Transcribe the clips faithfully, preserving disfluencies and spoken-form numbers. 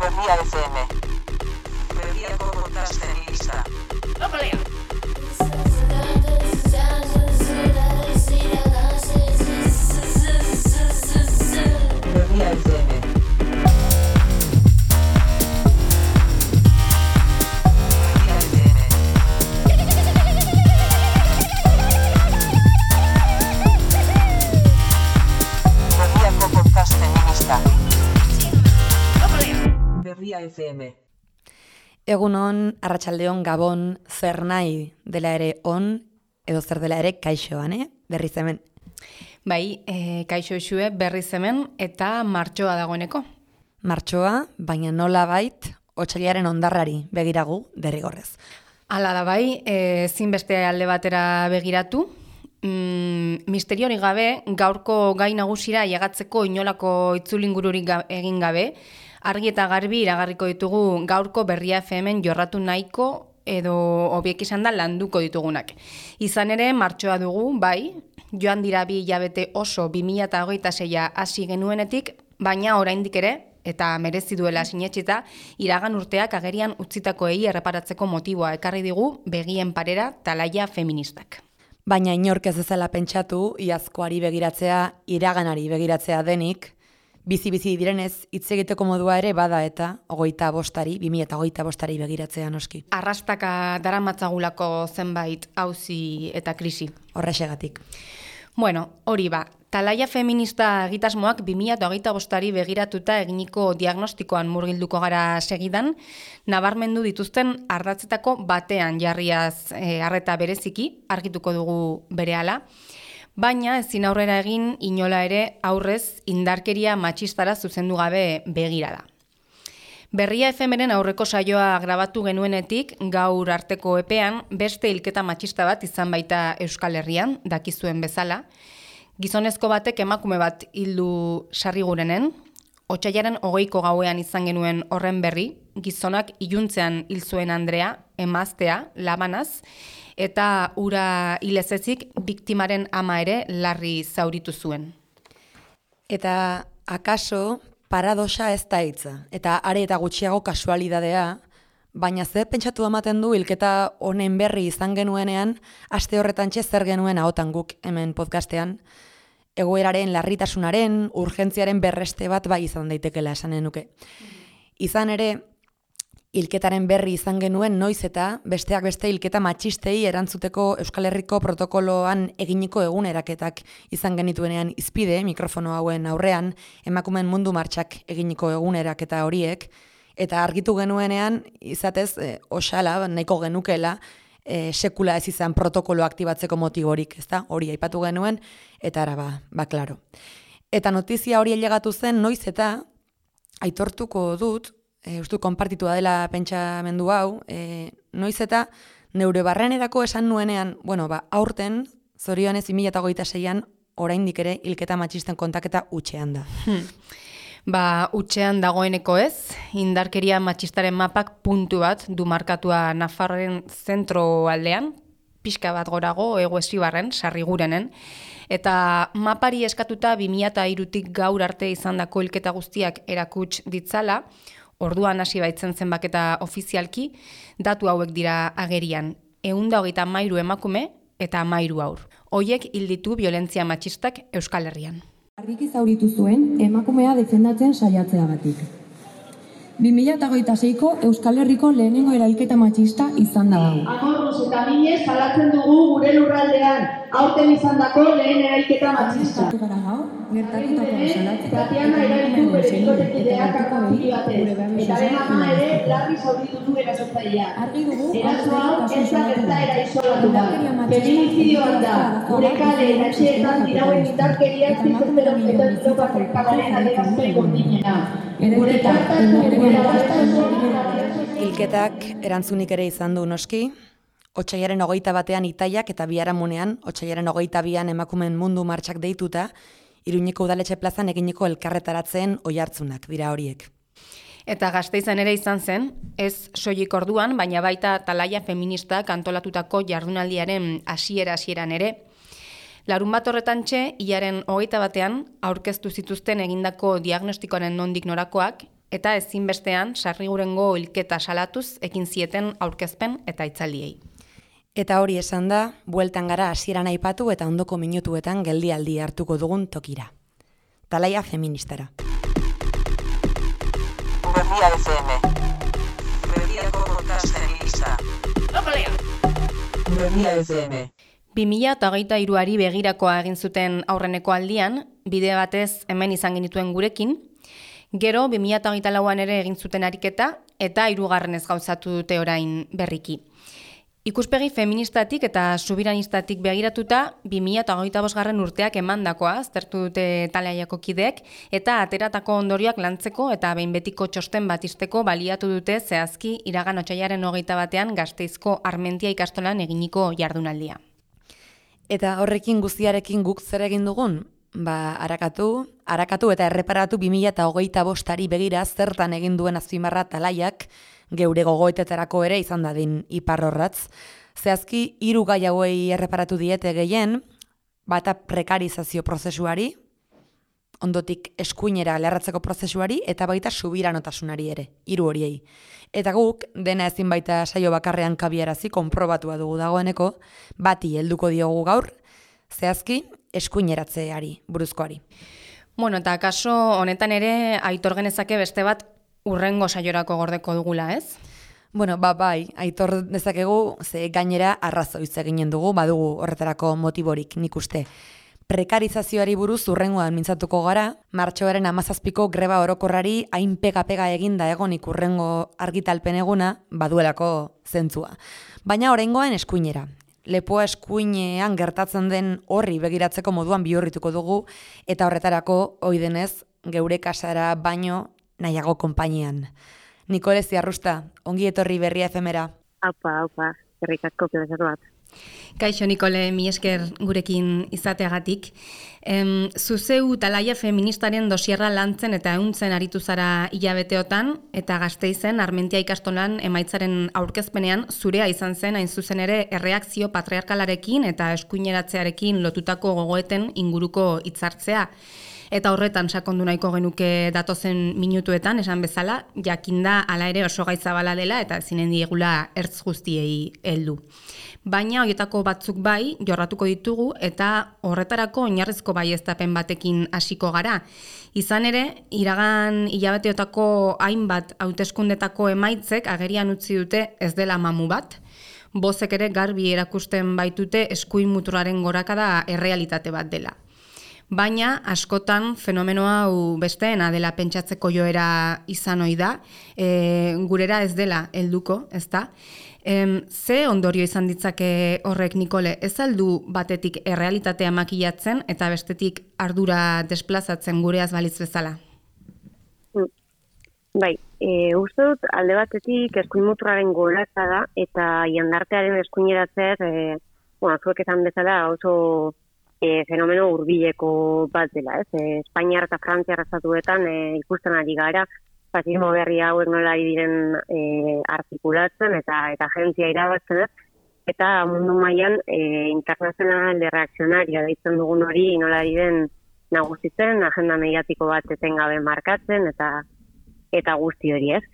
Berria F M. Berriako podcasten lista. Opalea! Berria F M. Berriako podcasten lista. Berria F M. Egunon, arratsaldeon, gabon, zer nahi dela ere on, edo zer dela ere kaixoan, eh? Berriz hemen. Bai, e, kaixo esue berriz hemen eta martxoa dagoeneko. Martxoa, baina nola bait, otsailaren ondarrari begiragu derrigorrez. Hala da bai, e, zinbeste alde batera begiratu. Mm, misteriori gabe, gaurko gai nagusira llegatzeko inolako itzulingururik ga, egin gabe, argi eta garbi iragarriko ditugu gaurko Berria F M-en jorratu nahiko edo hobiek izan da landuko ditugunak. Izan ere, martxoa dugu, bai, joan dira bi hilabete oso bi mila hogeita seia hasi genuenetik, baina oraindik ere, eta merezi duela sinetsita, iragan urteak agerian utzitakoei erreparatzeko motiboa ekarri digu begien parera talaia feministak. Baina inork ez ezala pentsatu, iazkoari begiratzea, iraganari begiratzea denik, bizi-bizi direnez, hitz egiteko modua ere bada eta hogeita bostari, bi mila hogeita bostari begiratzea noski. Arrastaka daramatzagulako zenbait auzi eta krisi. Horrexegatik. Bueno, hori ba, talaia feminista egitasmoak bi mila hogeita bostari begiratuta eginiko diagnostikoan murgilduko gara segidan, nabarmendu dituzten ardatzetako batean jarriaz e, arreta bereziki, argituko dugu berehala, baina ezin aurrera egin inola ere aurrez indarkeria matxistara zuzendu gabe begirada. Berria F M-ren aurreko saioa grabatu genuenetik gaur arteko epean beste hilketa matxista bat izan baita Euskal Herrian, dakizuen bezala. Gizonezko batek emakume bat hildu Sarrigurenen, otsailaren hogeiko gauean izan genuen horren berri, gizonak iluntzean hil zuen Andrea, emaztea, labanaz, eta ura hilezezik biktimaren ama ere larri zauritu zuen. Eta akaso paradoxa ez da hitza, eta are eta gutxiago kasualidadea, baina ze pentsatu ematen du hilketa honen berri izan genuenean, aste horretan txe zer genuen ahotan guk hemen podcastean, egoeraren larritasunaren, urgentziaren berreste bat bai izan daitekela esanen nuke. Izan ere, hilketaren berri izan genuen noiz eta besteak beste hilketa matxistei erantzuteko Euskal Herriko protokoloan eginiko eguneraketak izan genituenean izpide mikrofono hauen aurrean, emakumeen mundu martxak eginiko eguneraketa horiek, eta argitu genuenean izatez e, osala nahiko genukela e, sekula ez izan protokolo aktibatzeko motiborik, ezta? Hori aipatu genuen, eta ara ba, ba klaro. Eta notizia hori ailegatu zen noiz eta aitortuko dut, E, ustu konpartitua dela pentsamendu hau, e, noiz eta neure barrenerako esan nuenean, bueno, ba, aurten, zorionez bi mila hogeita seian, oraindik ere hilketa matxisten kontaketa utxean da. Hmm. Ba, utxean dagoeneko ez, indarkeria matxistaren mapak puntu bat du markatua Nafarroaren zentro aldean, pixka bat gorago, Hego Esibarren, Sarrigurenen, eta mapari eskatuta bi mila hirutik gaur arte izandako hilketa guztiak erakuts ditzala, orduan hasi baitzen zenbaketa ofizialki, datu hauek dira agerian, ehun eta hogeita hamairu emakume eta hamairu haur. Hoiek hil ditu biolentzia matxistak Euskal Herrian. Argiki zauritu zuen emakumea defendatzen saiatzeagatik. bi mila hogeita seiko Euskal Herriko lehenengo erailketa matxista izan da hau. Amorruz eta minez salatzen dugu gure lurraldean, aurten izandako lehen erailketa matxista. Gara gaur, gertatutakoa salatzen. Tatiana erailtu bere bikotekideak akapili batez, eta bere ama ere larri zauritu du erasotzailea. Argi dugu, Eraso hau ez da gertaera isolatu da. Feminizidioan da, gure kale eta etxeetan dirauen indarkeriak zizotero eta Europako kalaren adierazpen gordinena. Gure kartatu, Hilketak erantzunik ere izan du noski, otsailaren hogeita batean Itaiak eta biharamunean, otsailaren hogeita bian emakumeen mundu martxak deituta, Iruñeko udaletxe plazan eginiko elkarretaratzen oihartzunak dira horiek. Eta Gasteizen ere izan zen, ez soilik orduan, baina baita talaia feministak antolatutako jardunaldiaren hasiera-hasieran ere. Larun bat horretan txe, hilaren hogeita batean, aurkeztu zituzten egindako diagnostikoaren nondik norakoak, eta ezinbestean sarrigurengo hilketa salatuz ekin zieten aurkezpen eta hitzaldiei. Eta hori esan da, bueltan gara hasieran aipatu eta ondoko minutuetan geldialdi hartuko dugun tokira. Talaia feministara. Berria F M. Berriako podcast feminista. Berria F M. bi mila hogeita hiruari begirakoa egin zuten aurreneko aldian, bide batez hemen izan genituen gurekin, gero bi mila hogeita lauan ere egin zuten ariketa eta hirugarrenez gauzatu dute orain berriki. Ikuspegi feministatik eta subiranistatik begiratuta, bi mila hogeita bosgarren urteak emandakoa aztertu dute Talaiako kideek, eta ateratako ondorioak lantzeko eta behin betiko txosten bat izteko baliatu dute zehazki iragan otsailaren hogeita batean Gasteizko Armentia ikastolan eginiko jardunaldia. Eta horrekin guztiarekin guk zer egin dugun? Ba, arakatu, arakatu eta erreparatu bi mila hogeita bostari begira zertan egin duen azpimarra Talaiak, geure gogoetetarako ere izan dadin iparrorratz. Zehazki, hiru gai hauei erreparatu diete gehien, bata prekarizazio prozesuari, ondotik eskuinera lerratzeko prozesuari, eta baita subiranotasunari ere, hiru horiei. Eta guk, dena ezin baita saio bakarrean kabiarazi, konprobatua dugu dagoeneko, bati helduko diogu gaur, zehazki, eskuineratzeari, buruzkoari. Bueno, eta kaso honetan ere, aitor genezake beste bat urrengo saiorako gordeko dugula, ez? Bueno, ba, bai, aitor dezakegu, ze gainera arrazoiz eginen dugu, badugu horretarako motiborik nik uste. Prekarizazioari buruz urrengoan mintzatuko gara, martxoaren hamazazpiko greba orokorrari hain pega-pega eginda egonik urrengo argitalpen eguna baduelako zentzua. Baina oraingoan eskuinera. Lepoa eskuinean gertatzen den horri begiratzeko moduan bihurrituko dugu, eta horretarako oidenez geure kasara baino nahiago konpainian. Nikole Ziarrusta, ongi etorri Berria F M-era. Aupa, aupa, herrik asko plazatu bat. Kaixo Nikole, mi esker gurekin izateagatik. Em, zuzeu Talaia feministaren dosierra lantzen eta ehuntzen aritu zara hilabeteotan, eta Gasteizen Armentia ikastolan emaitzaren aurkezpenean zurea izan zen hain zuzen ere erreakzio patriarkalarekin eta eskuineratzearekin lotutako gogoeten inguruko hitzartzea. Eta horretan sakondu nahiko genuke datozen minutuetan, esan bezala, jakinda hala ere oso gaitzabala dela eta zinen diegula ertz guztiei heldu. Baina horietako batzuk bai, jorratuko ditugu eta horretarako oinarrizko baieztapen batekin hasiko gara. Izan ere, iragan hilabeteotako hainbat hauteskundetako emaitzek agerian utzi dute ez dela mamu bat, bozek ere garbi erakusten baitute eskuin muturraren gorakada errealitate bat dela. Baina, askotan, fenomeno hau besteena dela pentsatzeko joera izan ohi da, e, gurera ez dela helduko, ezta? E, ze ondorio izan ditzake horrek, Nikole, ez aldu batetik errealitatea makilatzen eta bestetik ardura desplazatzen gureaz balitz bezala? Bai, e, uste dut alde batetik eskuin muturraren gorakada eta jendartearen eskuineratzea, e, bueno, zuek esan bezala oso E, fenomeno hurbileko bat dela, ez? E, Espainiar eta Frantziar estatuetan e, ikusten ari gara, fasismo berri hauek nola diren e, artikulatzen eta eta agentzia irabazten, eta mundu mailan e, internazional de reakzionaria deitzen dugun hori nola diren nagusitzen, agenda mediatiko bat etengabe markatzen eta eta guzti hori, ez?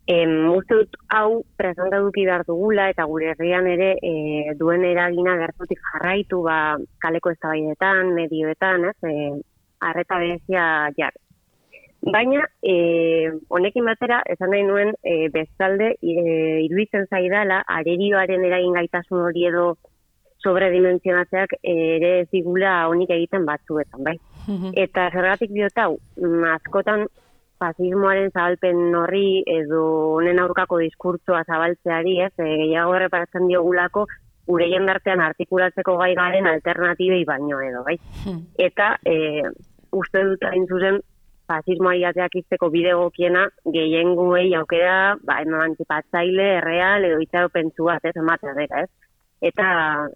Em, uste dut hau presenta duki behar dugula eta gure herrian ere e, duen eragina gertutik jarraitu ba, kaleko eztabaidetan, medioetan, ez, e, arreta berezia jar. Baina, e, honekin batera, esan nahi nuen e, bestalde e, iruditzen zaidala, arerioaren eragin gaitasun hori edo sobredimensionatzeak ere ez digula honik egiten batzuetan, bai? Eta zergatik diot hau, askotan fasismoaren zabalpen horri edo honen aurkako diskurtsoa zabaltzeari, ez, e, gehiago erreparatzen diogulako gure jendartean artikulatzeko gai garen alternatibei baino edo, bai? Eta e, uste dut hain zuzen fasismoari ateak izteko bide egokiena gehiengoei aukera ba, emantzipatzaile, erreal edo itxaropentsu bat, ez, ematea dira, ez? Eta,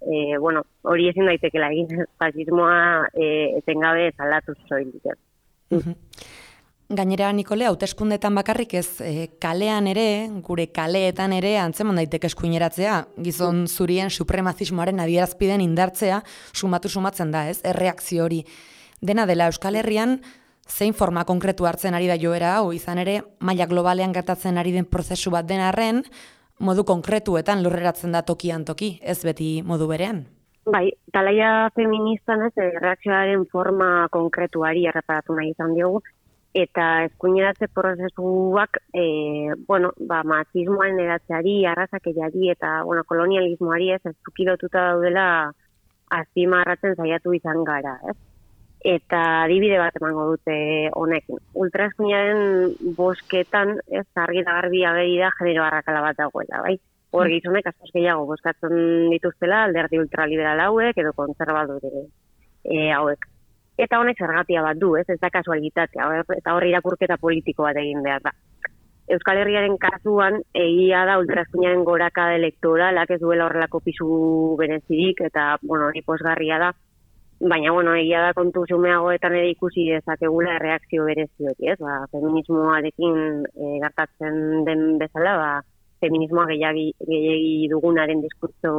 e, bueno, hori ezin daitekela egin fasismoa e, etengabe zalatuz soilik, ez? Gainera, Nikole, hauteskundetan bakarrik ez, e, kalean ere, gure kaleetan ere antzeman daiteke eskuineratzea, gizon zurien supremazismoaren adierazpiden indartzea sumatu sumatzen da, ez, erreakzio hori. Dena dela Euskal Herrian, zein forma konkretu hartzen ari da joera hau, izan ere, maila globalean gertatzen ari den prozesu bat den arren, modu konkretuetan lurreratzen da tokian toki, ez beti modu berean. Bai, talaia feministan ez, erreakzioaren forma konkretuari erreparatu nahi izan diogu, eta eskuineratze prozesuak, e, bueno, ba, machismoaren eratzeari, arrazakeriari eta, bueno, kolonialismoari ez, ez zukilotuta daudela azpimarratzen saiatu izan gara, ez? Eta adibide bat emango dute honekin. Ultraeskuinaren bosketan, ez, argi da garbi ageri da genero arrakala bat dagoela, bai? Hor gizonek askoz gehiago bozkatzen dituztela alderdi ultraliberal hauek edo kontserbadore e, hauek. Eta honek zergatia bat du, ez, ez da kasualitatea, eta hor irakurketa politiko bat egin behar da. Euskal Herriaren kasuan, egia da ultraeskuinaren gorakada elektoralak ez duela horrelako pisu berezirik, eta, bueno, hori pozgarria da, baina, bueno, egia da kontu xumeagoetan ere ikusi dezakegula erreakzio berezi hori, ez, ba, feminismoarekin e, gertatzen den bezala, ba, feminismoa gehiagi, gehiagi dugunaren diskurtso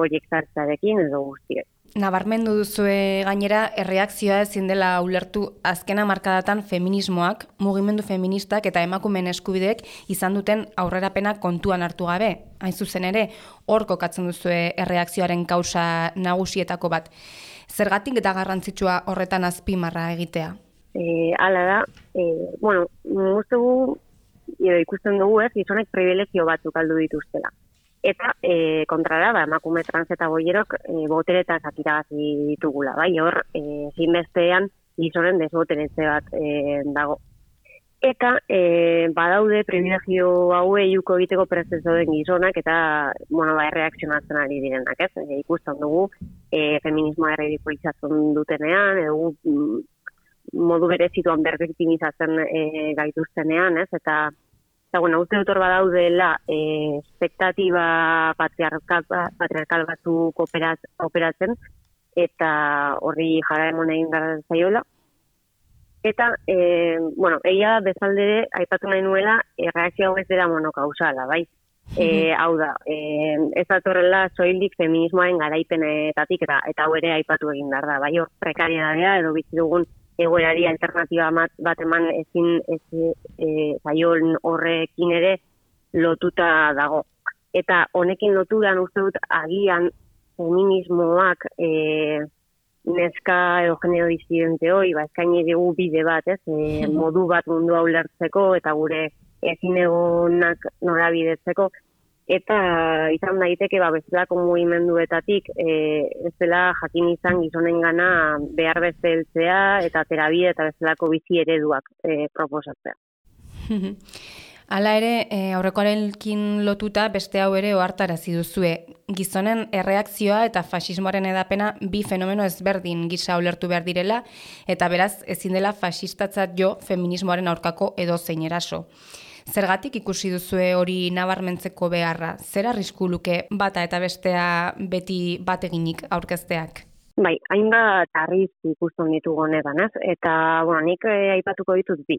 horiek zartzarekin edo guztiek. Nabarmendu duzue gainera, erreakzioa ezin dela ulertu azkena markadatan feminismoak, mugimendu feministak eta emakumeen eskubideek izan duten aurrerapena kontuan hartu gabe. Hain zuzen ere, hor kokatzen duzue erreakzioaren kausa nagusietako bat. Zergatik eta garrantzitsua horretan azpimarra egitea? E, hala da, e, bueno, moztugu, edo ikusten dugu ez, gizonek privilegio batzuk aldu dituztela. Eta e, kontrara, ba, emakume trans eta boierok e, boteretaz iragazi ditugula, bai, hor, e, zinbestean gizonen desboteretze bat e, dago. Eta e, badaude privilegio hauei uko egiteko prestezo den gizonak eta, bueno, ba, erreakzionatzen ari direnak, ez? E, ikusten dugu, e, feminismoa erridikulizatzen dutenean, edo mm, modu berezituan berbektimizatzen e, gaituztenean, ez? Eta Eta, bueno, uste dut hor badaudela eh, espektatiba patriarkal, patriarkal batzuk operat, operatzen, eta horri jaraemon egin behar zaiola. Eta, eh, bueno, egia bezaldere, aipatu nahi nuela, erreakzio hau ez dela monokausala, bai? E, hau da, e, ez datorrela soilik feminismoaren garaipenetatik, eta, eta hau ere aipatu egin behar da, bai? Hor prekariedadea edo bizi dugun egoerari alternatiba bat eman ezin ez e, zaion horrekin ere lotuta dago. Eta honekin loturan uste dut agian feminismoak e, neska edo genero disidente hoi, ba, eskaini dugu bide bat, ez, e, modu bat mundua ulertzeko eta gure ezin egonak norabidetzeko. Eta izan daiteke, ba, bezalako mugimenduetatik, e, ez dela jakin izan gizonengana behar beste heltzea eta terabide eta bezalako bizi ereduak e, proposatzea. Hala ere, e, aurrekoarekin lotuta beste hau ere ohartarazi duzue. Gizonen erreakzioa eta faxismoaren edapena bi fenomeno ezberdin gisa ulertu behar direla, eta beraz ezin dela faxistatzat jo feminismoaren aurkako edozein eraso. Zergatik ikusi duzue hori nabarmentzeko beharra? Zer arrisku luke bata eta bestea beti bateginik aurkezteak? Bai, hainbat arrisku ikusten ditugu honetan, ez? Eta, bueno, nik eh, aipatuko ditut bi.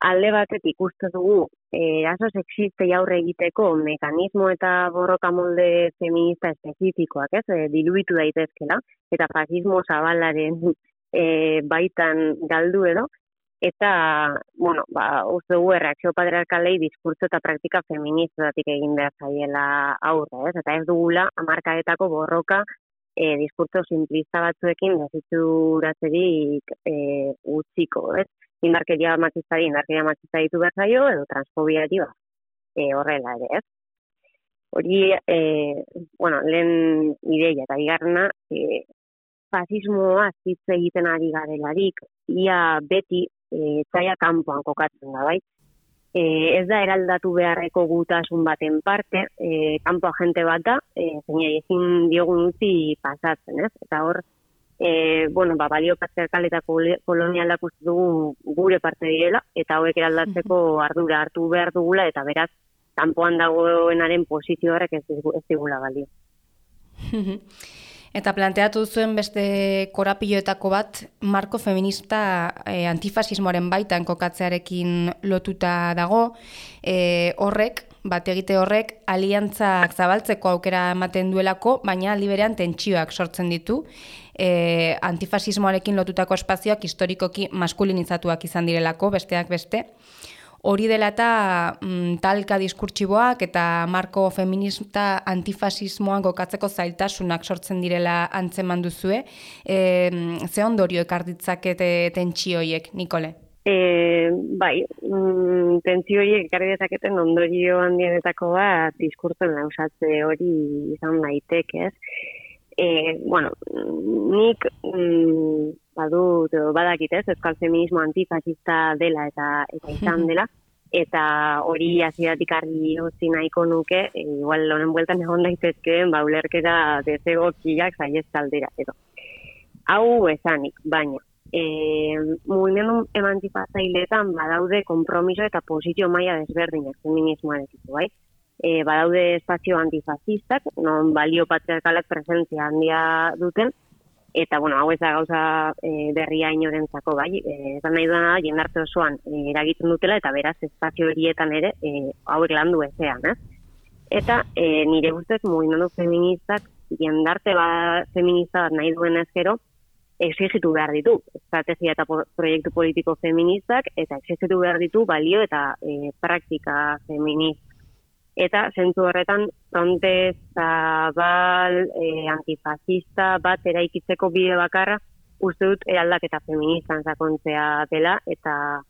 Alde batetik ikusten dugu eraso sexistei aurre egiteko mekanismo eta borroka molde feminista espezifikoak, ez? E, diluitu daitezkela, eta fascismo zabalaren e, baitan galdu edo. Eta, bueno, ba, uste dugu erreakzio patriarkalei diskurtso eta praktika feministatik egin behar zaiela aurre, ez? Eta ez dugula hamarkadetako borroka e, diskurtso simplista batzuekin desitzuratzerik e, utziko, ez? Indarkeria matxistari, indarkeria matxista ditu behar zaio, edo transfobiari ba, e, horrela ere, ez? Hori, e, bueno, lehen ideia eta bigarrena, e, fasismoa hitz egiten ari garelarik, ia beti E, txaia kanpoan kokatzen da, bai. E, ez da eraldatu beharreko gutasun baten parte, e, kanpo agente bat da, e, zeina ezin diogun utzi pasatzen, ez? Eta hor, e, bueno, ba, balio patriarkal eta kolonialak uste dugu gure parte direla, eta hauek eraldatzeko ardura hartu behar dugula, eta beraz, kanpoan dagoenaren posizio horrek ez, ez digula balio. Eta planteatu zuen beste korapiloetako bat, marko feminista e, antifasismoaren baitan kokatzearekin lotuta dago, e, horrek, bat egite horrek, aliantzak zabaltzeko aukera ematen duelako, baina aldi berean tentsioak sortzen ditu, e, antifasismoarekin lotutako espazioak historikoki maskulinizatuak izan direlako, besteak beste. Hori dela eta mm, talka diskurtsiboak eta marko feminista antifasismoan gokatzeko zailtasunak sortzen direla antzeman duzue. E, ze ondorio ekar ditzakete tentsioiek, Nikole? E, bai, mm, tentsio horiek ekarri dezaketen ondorio handienetako bat diskurtsoen lausatze hori izan daiteke, ez? E, bueno, nik mm, badut, badakit ez, euskal feminismo antifasista dela eta eta izan dela, eta hori hasieratik argi utzi nahiko nuke, e, igual honen bueltan egon daitezkeen, ba, ulerketa desegokiak saiestaldera, edo. Hau esanik, baina, e, mugimendu emantzipazaileetan badaude konpromiso eta posizio maila desberdinak feminismoarekin, bai? E, badaude espazio antifasistak, non balio patriarkalak presentzia handia duten, eta, bueno, hau ez da gauza e, berria inorentzako, bai, e, esan nahi duena da, jendarte osoan e, eragiten dutela, eta beraz, espazio horietan ere, e, hauek landu ezean, ez? Eta e, nire ustez, mugimendu feministak, jendarte ba, feminista bat nahi duen ezkero, exigitu behar ditu, estrategia eta proiektu politiko feministak, eta exigitu behar ditu balio eta e, praktika feminista. Eta zentzu horretan fronte zabal, e, antifasista bat eraikitzeko bide bakarra uste dut eraldaketa feministan sakontzea dela, eta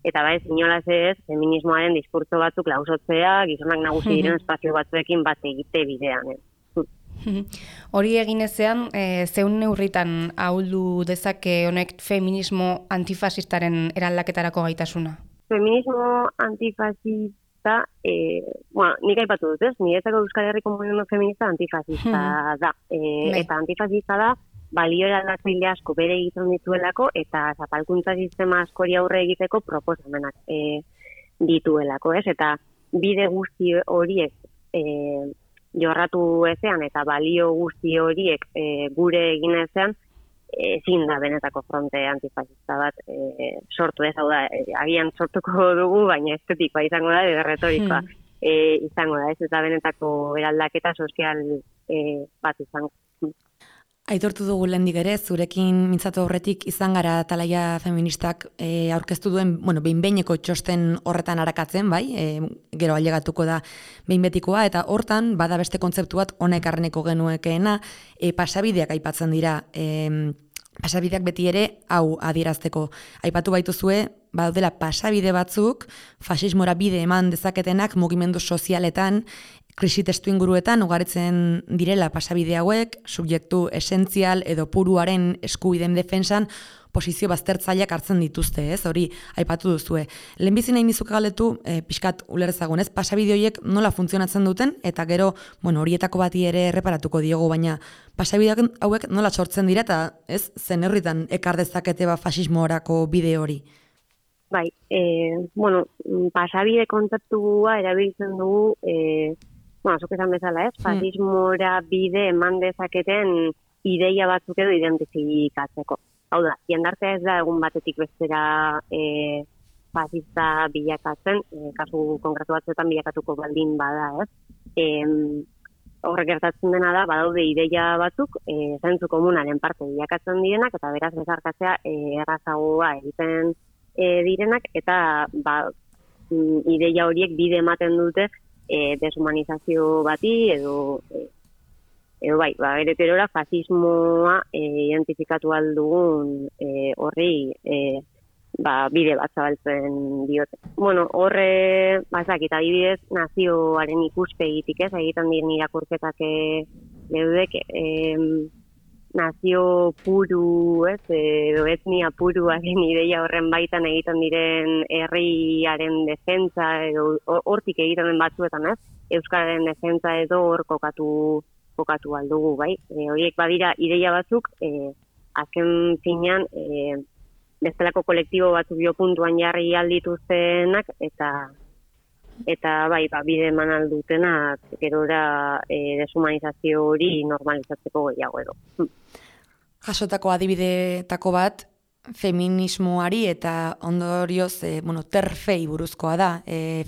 eta bai, inolaz ez, feminismoaren diskurtso batzuk lausotzea, gizonak nagusi diren espazio batzuekin bat egite bidean. Eh? Hori egin ezean, e, zeun neurritan ahuldu dezake honek feminismo antifasistaren eraldaketarako gaitasuna? Feminismo antifasista Eh, bueno, nik aipatu dut, ez? Niretzako Euskal Herriko mugimendu feminista antifasista hmm. da. E, eta antifasista da, balio eraldatzaile asko bere egiten dituelako, eta zapalkuntza sistema askori aurre egiteko proposamenak e, dituelako, ez? Eta bide guzti horiek e, jorratu ezean, eta balio guzti horiek e, gure egin ezean, ezin da benetako fronte antifasista bat e, sortu ez, hau da, e, agian sortuko dugu, baina estetikoa izango da, edo retorikoa hmm. e, izango da, ez, eta benetako eraldaketa sozial e, bat izango. Aitortu dugu lehendik ere, zurekin mintzatu horretik izan gara Talaia feministak e, aurkeztu duen, bueno, behin-behineko txosten horretan arakatzen, bai, e, gero ailegatuko da behin-betikoa, eta hortan, bada beste kontzeptu bat honek arreneko genuekeena, e, pasabideak aipatzen dira, e, pasabideak beti ere, hau adierazteko. Aipatu baituzue, badaudela pasabide batzuk, fasismora bide eman dezaketenak mugimendu sozialetan, krisi testu inguruetan ugaritzen direla pasabide hauek, subjektu esentzial edo puruaren eskubideen defensan posizio baztertzaileak hartzen dituzte, ez? Hori aipatu duzue. Lehenbizi nahi nizuke galdetu, e, pixkat ulerzagun, ez? Pasabide horiek nola funtzionatzen duten, eta gero, bueno, horietako bati ere erreparatuko diogu, baina pasabide hauek nola sortzen dira, eta ez, zen herritan ekar dezakete ba fasismoarako bide hori? Bai, e, bueno, pasabide kontzeptua erabiltzen dugu, e, bueno, zuk esan bezala, ez? Fasismora bide eman dezaketen ideia batzuk edo identifikatzeko. Hau da, jendartea ez da egun batetik bestera e, fasista bilakatzen, e, kasu konkretu batzuetan bilakatuko baldin bada, ez? E, horrek gertatzen dena da, badaude ideia batzuk, e, zentzu komunaren parte bilakatzen direnak, eta beraz bezarkatzea e, errazagoa egiten e, direnak, eta ba, ideia horiek bide ematen dute E, deshumanizazio bati edo e, edo bai, ba, ereterora fasismoa e, identifikatu aldugun e, horri e, ba, bide bat zabaltzen diote. Bueno, horre, bazakit, adibidez, nazioaren ikuspegitik ez, egiten diren irakurketak leudek, e, nazio puru, ez, edo etnia puruaren ideia horren baitan egiten diren herriaren defentsa, edo hortik egiten den batzuetan, ez, euskararen defentsa edo hor kokatu, kokatu aldugu, bai. E, horiek badira ideia batzuk, e, azken finean, e, bestelako kolektibo batzuk jo puntuan jarri aldituztenak, eta eta bai, ba, bide eman aldutenak gerora e, deshumanizazio hori normalizatzeko gehiago edo. Jasotako adibidetako bat, feminismoari eta ondorioz, e, bueno, terfei buruzkoa da. E,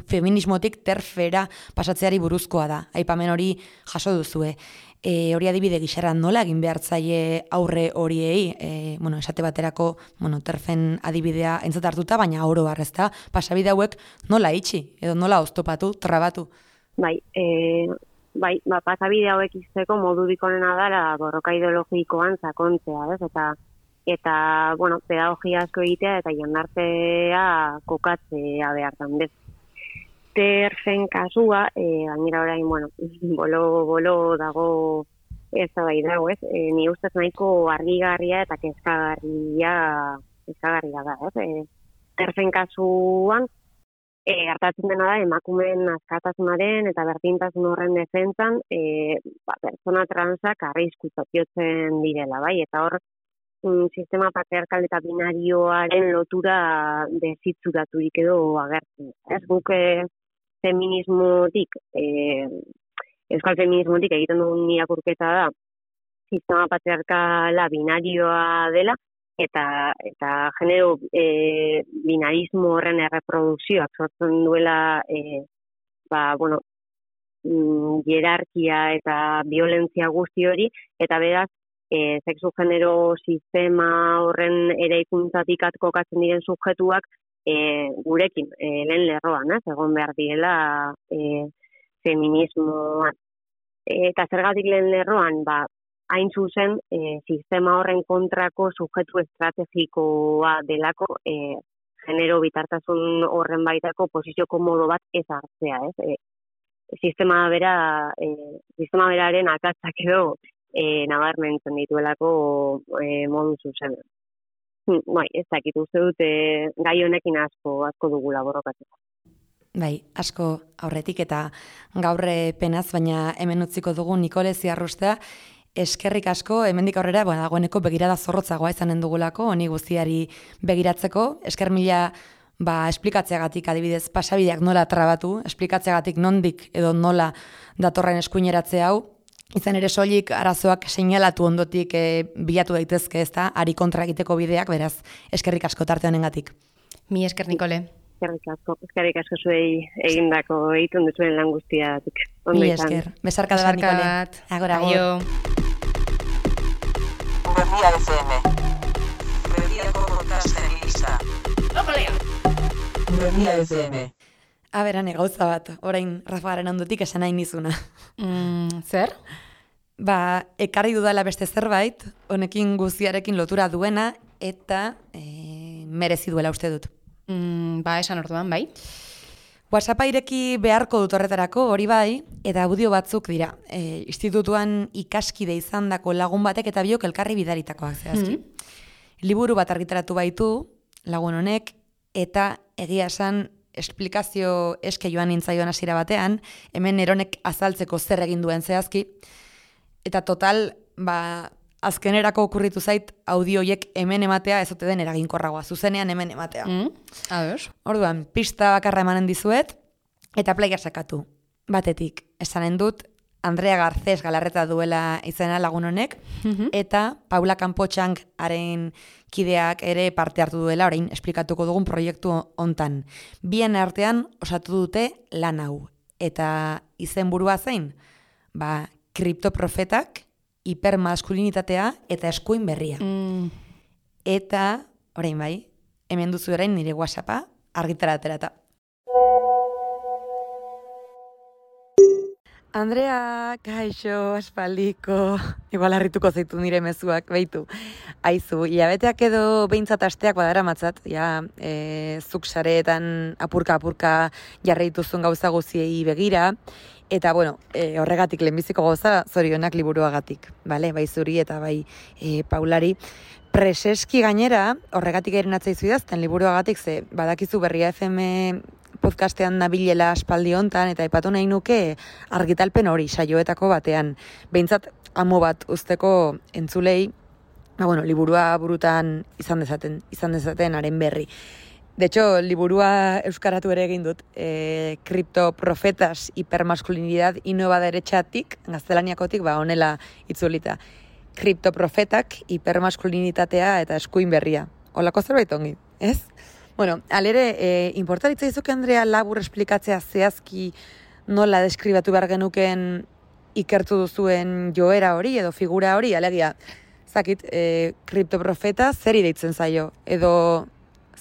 feminismotik terfera pasatzeari buruzkoa da. Aipamen hori jaso duzue. E, hori adibide gixera nola egin behartzaile aurre horiei, e, bueno, esate baterako, bueno, terfen adibidea entzat hartuta, baina oro harrezta, pasabide hauek nola itxi, edo nola oztopatu, trabatu? Bai, e, bai, ba, pasabide hauek izteko modurik onena dara borroka ideologikoan sakontzea, ez? Eta, eta bueno, pedagogia asko egitea eta jendartea kokatzea behartan, bez? Terfen kasua, e, gainera orain, bueno, bolo-bolo dago ez da bai dago, ez? E, ni ustez nahiko argigarria eta kezkagarria, kezkagarria da, ez? E, terfen kasuan, e, gertatzen dena da, emakumeen askatasunaren eta berdintasun horren defentsan, e, ba, pertsona transak arriskutzat jotzen direla, bai? Eta hor, mm, sistema patriarkal eta binarioaren lotura dezitzuraturik edo agertzen. Ez guk e, feminismotik, e, euskal feminismotik egiten dugun irakurketa da, sistema patriarkala binarioa dela, eta eta genero e, binarismo horren erreprodukzioak sortzen duela e, ba, bueno, mm, hierarkia eta violentzia guzti hori, eta beraz, e, sexu genero sistema horren eraikuntzatik kokatzen diren subjetuak E, gurekin, e, lehen lerroan, ez, egon behar direla e, feminismoan. E, eta zergatik lehen lerroan, ba, hain zuzen, e, sistema horren kontrako subjetu estrategikoa delako, e, genero bitartasun horren baitako posizio komodo bat ez hartzea, ez? E, sistema bera, e, sistema beraren akatzak edo e, nabarmentzen dituelako e, modu zuzen. Bai, ez dakit, uste dute gai honekin asko, asko dugula borrokatzeko. Bai, asko aurretik eta gaurre penaz, baina hemen utziko dugu Nikole Ziarrustea, eskerrik asko, hemendik aurrera, bueno, dagoeneko begirada zorrotzagoa izanen dugulako, honi guztiari begiratzeko, esker mila ba, esplikatzeagatik adibidez pasabideak nola trabatu, esplikatzeagatik nondik edo nola datorren eskuineratze hau, izan ere soilik arazoak seinalatu ondotik e, bilatu daitezke, ez da, ari kontra egiteko bideak, beraz, eskerrik asko tarte honengatik. Mi esker, Nikole. Eskerrik asko, eskerrik asko zuei egindako egiten duzuen lan guztiatik. Mi esker, besarka da bat, Nikole. Agora, aio. Berria F M. Berriako podcasten gisa. Berria F M. Aberane, gauza bat, orain Rafagaren ondotik esan nahi nizuna. Mm, zer? Ba, ekarri dudala beste zerbait, honekin guztiarekin lotura duena, eta e, merezi duela uste dut. Mm, ba, esan orduan, bai. WhatsAppa ireki beharko dut horretarako, hori bai, eta audio batzuk dira. E, institutuan ikaskide izandako lagun batek eta biok elkarri bidaritakoak zehazki. Mm-hmm. Liburu bat argitaratu baitu, lagun honek, eta egia esan esplikazio eske joan nintzaioan hasiera batean, hemen eronek azaltzeko zer egin duen zehazki, eta total, ba, azkenerako okurritu zait audioiek hemen ematea ez ote den eraginkorragoa, zuzenean hemen ematea. Mm, ados. Orduan, pista bakarra emanen dizuet, eta playa sakatu. Batetik, esanen dut, Andrea Garcés Galarreta duela izena lagun honek, mm-hmm. eta Paula Campotxank haren kideak ere parte hartu duela, orain esplikatuko dugun proiektu hontan. Bien artean osatu dute lan hau. Eta izenburua zein? Ba, kriptoprofetak, hipermaskulinitatea eta eskuin berria. Mm. Eta, orain bai, hemen duzu orain nire WhatsAppa argitara aterata. Andrea, kaixo, aspaldiko, igual harrituko zaitu nire mezuak, beitu. Aizu, hilabeteak edo behintzat asteak badara matzat, ja, e, zuk sareetan apurka-apurka jarri dituzun gauza guziei begira, eta, bueno, e, horregatik lehenbiziko gauza, zorionak liburuagatik, bale, bai zuri eta bai e, Paulari. Preseski gainera, horregatik eren atzaizu idazten liburuagatik, ze badakizu Berria F M podcastean nabilela aspaldi hontan, eta aipatu nahi nuke argitalpen hori saioetako batean. Behintzat, amo bat usteko entzulei, ba, bueno, liburua burutan izan dezaten, izan dezaten haren berri. De hecho, liburua euskaratu ere egin dut, e, kriptoprofetas hipermasculinidad y nueva derechatik, gaztelaniakotik, ba, honela itzulita. Kriptoprofetak, hipermaskulinitatea eta eskuin berria. Holako zerbait ongi, ez? Bueno, alere, e, importaritza izuke, Andrea, labur esplikatzea zehazki nola deskribatu behar genuken ikertu duzuen joera hori edo figura hori, alegia, zakit, e, kriptoprofeta zer deitzen zaio, edo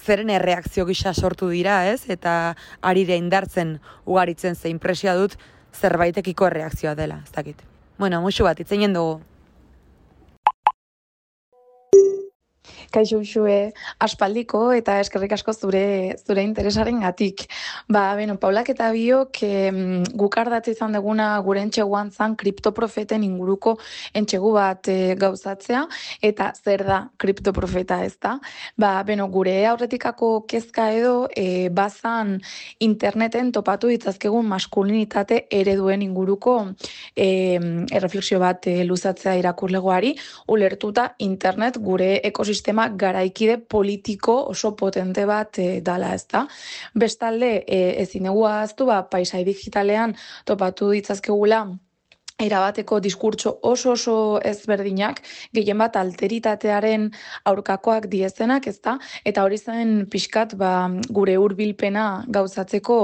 zeren erreakzio gisa sortu dira, ez? Eta arire indartzen ugaritzen ze impresioa dut zerbaitekiko erreakzioa dela, ez dakit. Bueno, musu bat, itzeinen dugu. Kaixo Uxue, aspaldiko eta eskerrik asko zure zure interesaren gatik. Ba, beno, Paulak eta biok eh, guk ardatze izan deguna gure entxeguan zan kriptoprofeten inguruko entxegu bat eh, gauzatzea, eta zer da kriptoprofeta, ez da? Ba, beno, gure aurretikako kezka edo eh, bazan interneten topatu ditzazkegun maskulinitate ereduen inguruko eh, erreflexio bat eh, luzatzea irakurlegoari, ulertuta internet gure ekosistema garaikide politiko oso potente bat e, dala, ez da. Bestalde, e, ezin egu ahaztu, ba, paisai digitalean topatu ditzazkegula erabateko diskurtso oso oso ezberdinak, gehien bat alteritatearen aurkakoak diezenak, ez da, eta hori zen pixkat ba, gure hurbilpena gauzatzeko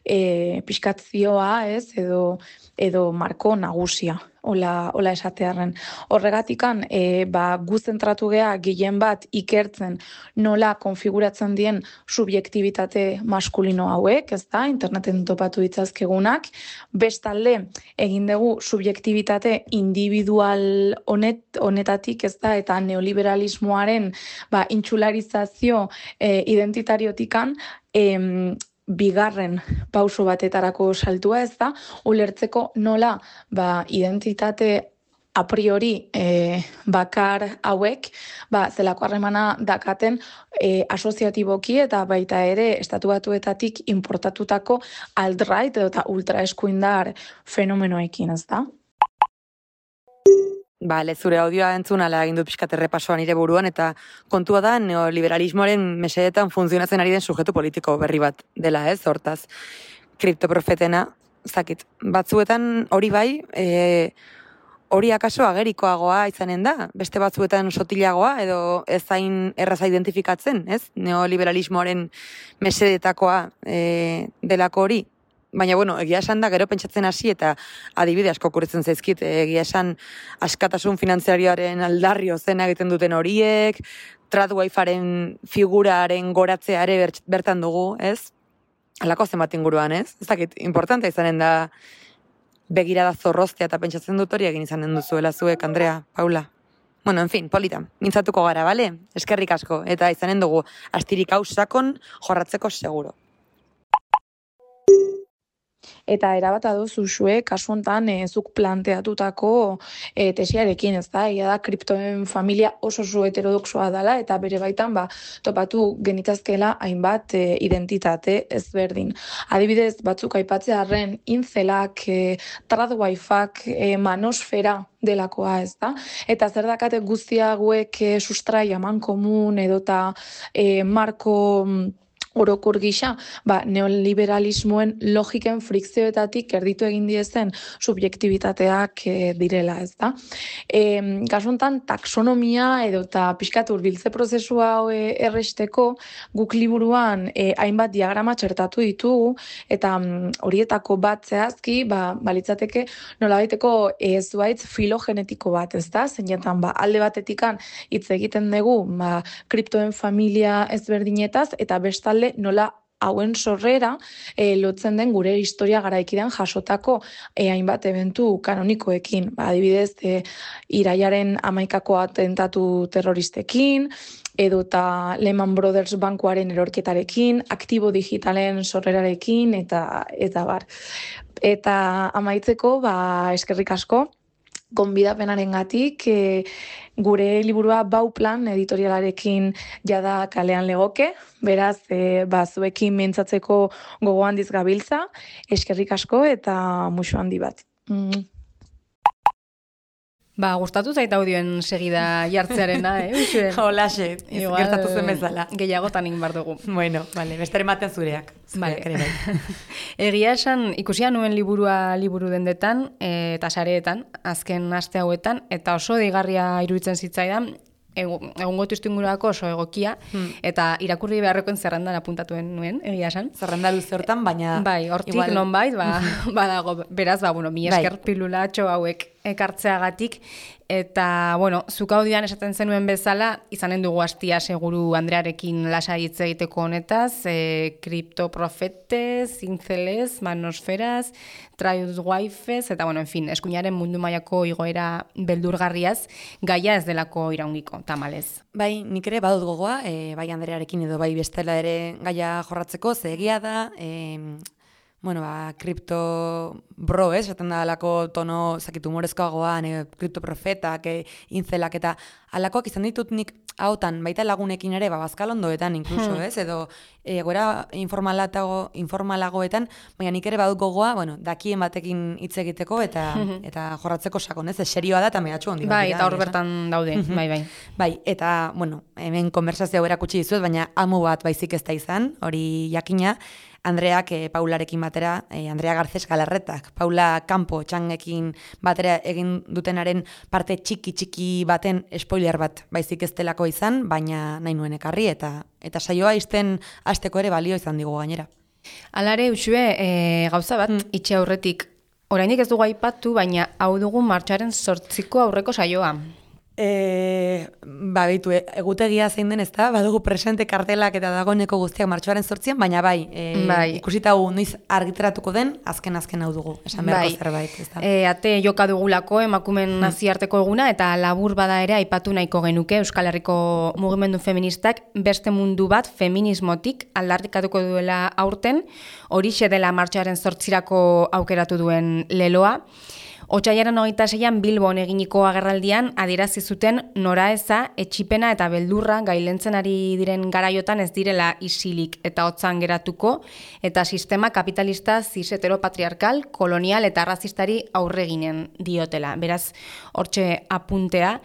e, pixkat zioa, ez, edo, edo marko nagusia. Ola, ola esatearren. Horregatikan, e, ba, gu zentratu gea gehien bat ikertzen nola konfiguratzen dien subjektibitate maskulino hauek, ez da, interneten topatu ditzazkegunak. Bestalde, egin dugu subjektibitate individual honet, honetatik, ez da, eta neoliberalismoaren ba, intxularizazio e, identitariotikan, em, bigarren pauso batetarako saltua, ez da, ulertzeko nola ba, identitate a priori e, bakar hauek ba, zelako harremana dakaten e, asoziatiboki eta baita ere estatu batuetatik importatutako alt-right eta ultraeskuindar fenomenoekin, ez da? Bale, zure audioa entzun ala egin dut pixkat errepasoa nire buruan, eta kontua da neoliberalismoaren mesedetan funtzionatzen ari den sujetu politiko berri bat dela, ez, hortaz. Kriptoprofetena, zakit, batzuetan hori bai, e, hori akaso agerikoagoa izanen da, beste batzuetan sotilagoa, edo ez zain erraza identifikatzen, ez, neoliberalismoaren mesedetakoa e, delako hori. Baina, bueno, egia esan da, gero pentsatzen hasi eta adibide asko kurritzen zaizkit, egia esan askatasun finanziarioaren aldarrio zena egiten duten horiek, TradWiferen figuraren goratzea ere bertan dugu, ez? Halako zenbat inguruan, ez? Ez dakit, importantea izanen da begirada zorroztea eta pentsatzen dut hori egin izanen duzuela zuek, Andrea, Paula. Bueno, en fin, polita, mintzatuko gara, bale? Eskerrik asko, eta izanen dugu astirik hau sakon jorratzeko seguro. Eta erabat adozu zue, kasu hontan e, zuk planteatutako e, tesiarekin, ez da, ia da, kriptoen familia oso oso heterodoxoa dela, eta bere baitan, ba, topatu genitazkela hainbat e, identitate ezberdin. Adibidez, batzuk aipatzearren, inzelak, e, tradwifak, e, manosfera delakoa, ez da, eta zer dakate guztia hauek e, sustrai aman komun, edota e, marko orokor gisa, ba, neoliberalismoen logiken frikzioetatik erditu egin diezen subjektibitateak e, direla, ez da. E, Kasuntan, taksonomia edo eta pixkat hurbiltze prozesua e, erresteko guk liburuan e, hainbat diagrama txertatu ditugu, eta mm, horietako bat zehazki, ba, balitzateke nolabaiteko e, zuaitz filogenetiko bat, ez da, zeinetan, ba, alde batetikan hitz egiten dugu, ba, kriptoen familia ezberdinetaz, eta bestalde nola hauen sorrera e, lotzen den gure historia garaikidean jasotako e, hainbat eventu kanonikoekin. Ba, adibidez, e, iraiaren hamaikako atentatu terroristekin, edo eta Lehman Brothers bankuaren erorketarekin, aktibo digitalen sorrerarekin, eta, eta bar. Eta amaitzeko, ba, eskerrik asko, gonbidapenaren gatik, e, gure liburua Bauplan editorialarekin jada kalean legoke, beraz, e, ba, zuekin mintzatzeko gogo handiz gabiltza, eskerrik asko eta musu handi bat. Mm. Ba, gustatu zait audioen segida jartzearena, eh? Holaxe, gertatu zen bezala. Gehiagotan egin bar dugu. Bueno, vale, beste ematen zureak. Vale. Zureak ere bai. Egia esan, ikusia nuen liburua liburu dendetan, e, eta sareetan, azken aste hauetan, eta oso deigarria iruditzen zitzaidan, egungo testuingurako oso egokia, hmm. eta irakurri beharrekoen zerrendan apuntatuen nuen, egia esan. Zerrenda luze hortan, baina... Bai, hortik igual... nonbait, ba, badago, beraz, ba, bueno, mi esker bai. Pilulatxo hauek ekartzeagatik, eta, bueno, zuk audian esaten zenuen bezala, izanen dugu hastia seguru Andrearekin lasai hitz egiteko honetaz, e, kriptoprofetez, intzelez, manosferaz, tradewifez, eta, bueno, en fin, eskuinaren mundu mailako igoera beldurgarriaz, gaia ez delako iraungiko, tamalez. Bai, nik ere badut gogoa, e, bai Andrearekin edo bai bestela ere gaia jorratzeko, ze egia da, e, bueno, ba, kripto bro, ez, esaten da alako tono, zakit, humorezkoagoan, e, kriptoprofetak, e, intzelak, eta alakoak izan ditut nik hautan, baita lagunekin ere, ba, bazkalondoetan inkluso, hmm. ez, edo egoera informalatago, informalagoetan, baina nik ere badut gogoa, bueno, dakien batekin hitz egiteko, eta hmm. eta jorratzeko sakon, ez, serioa da, eta mehatxu handi. Bai, eta hor bertan daude, bai, bai. Bai, eta, bueno, hemen konversazio erakutsi dizuet, baina amu bat baizik ez da izan, hori jakina, Andreak e, Paularekin batera, e, Andrea Garcés Galarretak, Paula Campo txangekin batera egin dutenaren parte txiki-txiki baten spoiler bat baizik ez delako izan, baina nahi nuen ekarri, eta eta saioa izten hasteko ere balio izan digu gainera. Alare, Uxue, e, gauza bat, hmm. itxe aurretik, oraindik ez dugu aipatu, baina hau dugu martxoaren zortziko aurreko saioa. E, ba, beitu, egutegia zein den ez da, badugu presente kartelak eta dagoeneko guztiak martxoaren zortzian, baina bai, e, bai. ikusita gu noiz argitaratuko den, azken-azken hau dugu, esan beharko bai. zerbait, ez da. E, ate joka dugulako emakumen hmm. naziarteko eguna, eta labur bada ere aipatu nahiko genuke Euskal Herriko mugimendu feministak beste mundu bat feminismotik aldarrikatuko duela aurten, horixe dela martxoaren zortzirako aukeratu duen leloa. Otsaiaren hogeita seian Bilbon eginiko agerraldian adierazi zuten noraeza, etxipena eta beldurra gailentzen ari diren garaiotan ez direla isilik eta hotzan geratuko, eta sistema kapitalista zis heteropatriarkal, kolonial eta arrazistari aurreginen diotela. Beraz, hortxe apuntea.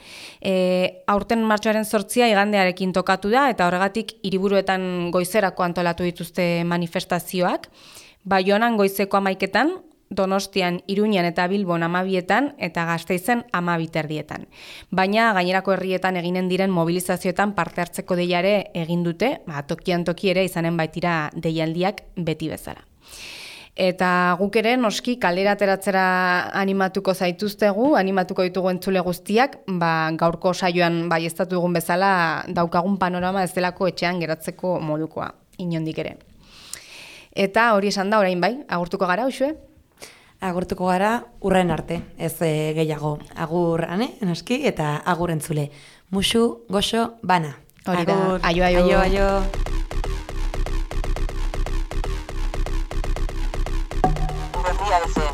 E, aurten martxoaren zortzia igandearekin tokatu da, eta horregatik hiriburuetan goizerako antolatu dituzte manifestazioak. Baionan goizeko hamaiketan, Donostian, Iruñan eta Bilbon amabietan eta Gasteizen amabiterdietan. Baina gainerako herrietan eginen diren mobilizazioetan parte hartzeko deiare egin dute, ba, tokian toki ere izanen baitira deialdiak beti bezala. Eta guk ere noski kalera ateratzera animatuko zaituztegu, animatuko ditugu entzule guztiak, ba, gaurko saioan baieztatu dugun bezala daukagun panorama ez delako etxean geratzeko modukoa, inondik ere. Eta hori esan da orain bai, agurtuko gara, Uxue? Agurtuko gara urren arte, ez e, gehiago. Agur, ane, noski, eta agur entzule. Musu, goxo, bana. Hori da, aio, aio. Aio, aio. Berria F M.